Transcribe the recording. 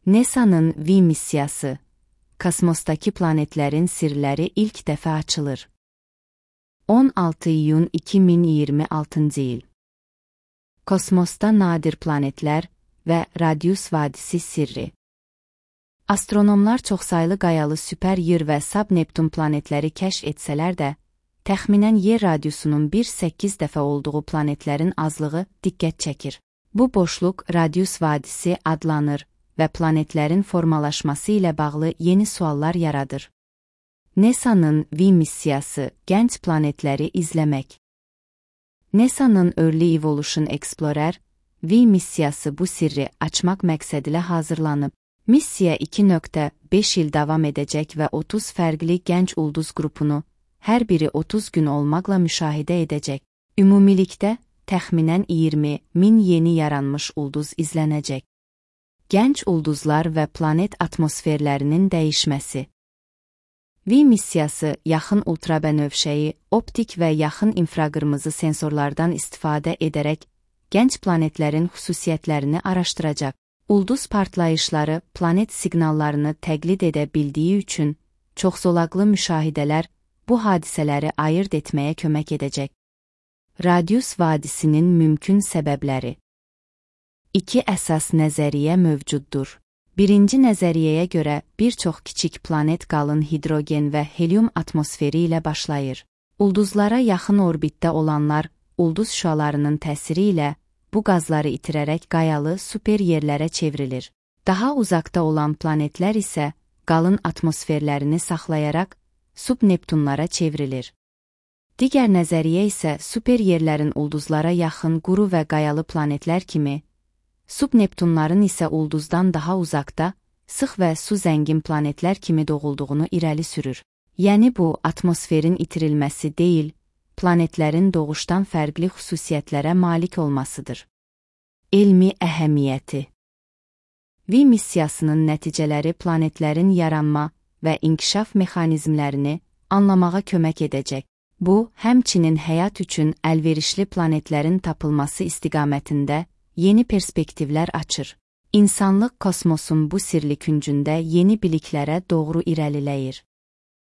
NASA'nın V missiyası, kosmosdaki planetlerin sirləri ilk dəfə açılır. 16 iyun 2026 il. Kosmosda nadir planetlər və Radius vadisi sirri. Astronomlar çoxsaylı qayalı süper Yer və sub-Neptun planetləri kəşf etsələr də, təxminən Yer radiusunun 1,8 dəfə olduğu planetlərin azlığı diqqət çəkir. Bu boşluq Radius vadisi adlanır və planetlərin formalaşması ilə bağlı yeni suallar yaradır. NASA'nın V missiyası gənc planetləri izləmək. NASA'nın Early Evolution Explorer V missiyası bu sirri açmaq məqsədilə hazırlanıb. Missiya 2,5 il davam edəcək və 30 fərqli gənc ulduz qrupunu, hər biri 30 gün olmaqla müşahidə edəcək. Ümumilikdə, təxminən 20.000 yeni yaranmış ulduz izlənəcək. Gənc ulduzlar və planet atmosferlərinin dəyişməsi. V missiyası yaxın ultrabənövşəyi, optik və yaxın infraqırmızı sensorlardan istifadə edərək gənc planetlərin xüsusiyyətlərini araşdıracaq. Ulduz partlayışları planet siqnallarını təqlid edə bildiyi üçün çoxzolaqlı müşahidələr bu hadisələri ayırd etməyə kömək edəcək. Radius vadisinin mümkün səbəbləri. İki əsas nəzəriyyə mövcuddur. Birinci nəzəriyyəyə görə bir çox kiçik planet qalın hidrogen və helium atmosferi ilə başlayır. Ulduzlara yaxın orbitdə olanlar ulduz şüalarının təsiri ilə bu qazları itirərək qayalı super yerlərə çevrilir. Daha uzaqda olan planetlər isə qalın atmosferlərini saxlayaraq sub-Neptunlara çevrilir. Digər nəzəriyyə isə super yerlərin ulduzlara yaxın quru və qayalı planetlər kimi, sub-Neptunların isə ulduzdan daha uzaqda, sıx və su zəngin planetlər kimi doğulduğunu irəli sürür. Yəni bu, atmosferin itirilməsi deyil, planetlərin doğuşdan fərqli xüsusiyyətlərə malik olmasıdır. Elmi əhəmiyyəti. V missiyasının nəticələri planetlərin yaranma və inkişaf mexanizmlərini anlamağa kömək edəcək. Bu, həmçinin həyat üçün əlverişli planetlərin tapılması istiqamətində yeni perspektivlər açır. İnsanlıq kosmosun bu sirli küncündə yeni biliklərə doğru irəliləyir.